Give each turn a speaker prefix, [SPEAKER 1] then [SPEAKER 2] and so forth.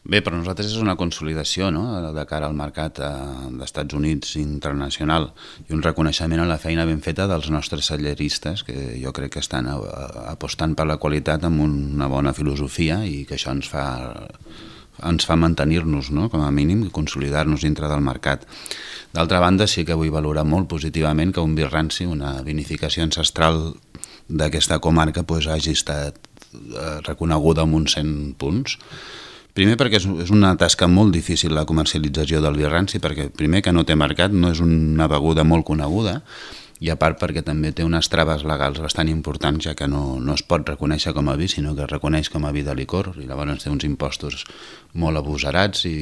[SPEAKER 1] Bé, per nosaltres és una consolidació, no?, de cara al mercat d'Estats Units internacional i un reconeixement a la feina ben feta dels nostres celleristes, que jo crec que estan apostant per la qualitat amb una bona filosofia i que això ens fa mantenir-nos, no?, com a mínim, i consolidar-nos dintre del mercat. D'altra banda, sí que vull valorar molt positivament que un vi ranci, una vinificació ancestral d'aquesta comarca, hagi estat reconeguda amb uns 100 punts. Primer perquè és una tasca molt difícil la comercialització del vi ranci, perquè primer que no té mercat, no és una beguda molt coneguda, i a part perquè també té unes traves legals bastant importants, ja que no es pot reconèixer com a vi, sinó que es reconeix com a vi de licor, i llavors té uns impostos molt agosarats i